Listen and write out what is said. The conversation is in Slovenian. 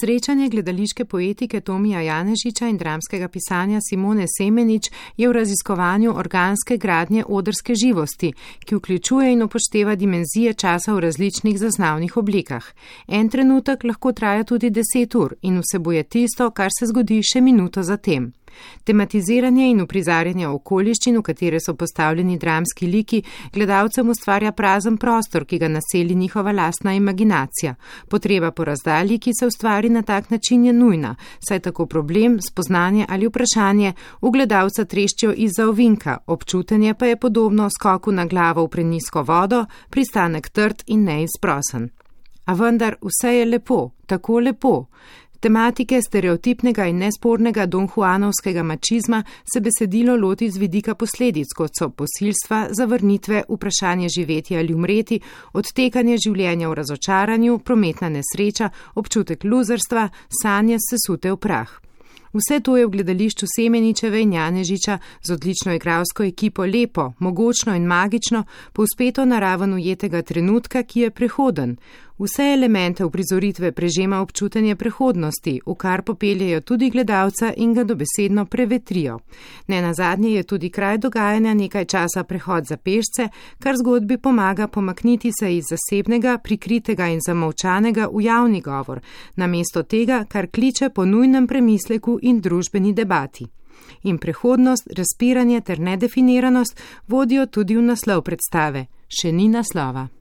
Srečanje gledališke poetike Tomija Janežiča in dramskega pisanja Simone Semenič je v raziskovanju organske gradnje odrske živosti, ki vključuje in upošteva dimenzije časa v različnih zaznavnih oblikah. En trenutek lahko traja tudi 10 ur in vsebuje tisto, kar se zgodi še minuto zatem. Tematiziranje in uprizarjanje okoliščin, v katere so postavljeni dramski liki, gledalcem ustvarja prazen prostor, ki ga naseli njihova lastna imaginacija. Potreba po razdalji, ki se ustvari na tak način, je nujna, saj tako problem, spoznanje ali vprašanje v gledalca treščijo izza ovinka, občutenje pa je podobno skoku na glavo v prenizko vodo, pristanek trd in neizprosen. A vendar vse je lepo, tako lepo. Tematike stereotipnega in nespornega donjuanovskega mačizma se besedilo loti z vidika posledic, kot so posilstva, zavrnitve, vprašanje živeti ali umreti, odtekanje življenja v razočaranju, prometna nesreča, občutek luzerstva, sanje sesute v prah. Vse to je v gledališču Semeničeve in Janežiča z odlično igralsko ekipo lepo, mogočno in magično, povzpeto na raven ujetega trenutka, ki je prehoden. Vse elemente uprizoritve prežema občutenje prehodnosti, v kar popeljejo tudi gledalca in ga dobesedno prevetrijo. Nenazadnje je tudi kraj dogajanja nekaj časa prehod za pešce, kar zgodbi pomaga pomakniti se iz zasebnega, prikritega in zamolčanega v javni govor, namesto tega, kar kliče po nujnem premisleku in družbeni debati. In prehodnost, razpiranje ter nedefiniranost vodijo tudi v naslov predstave. Še ni naslova.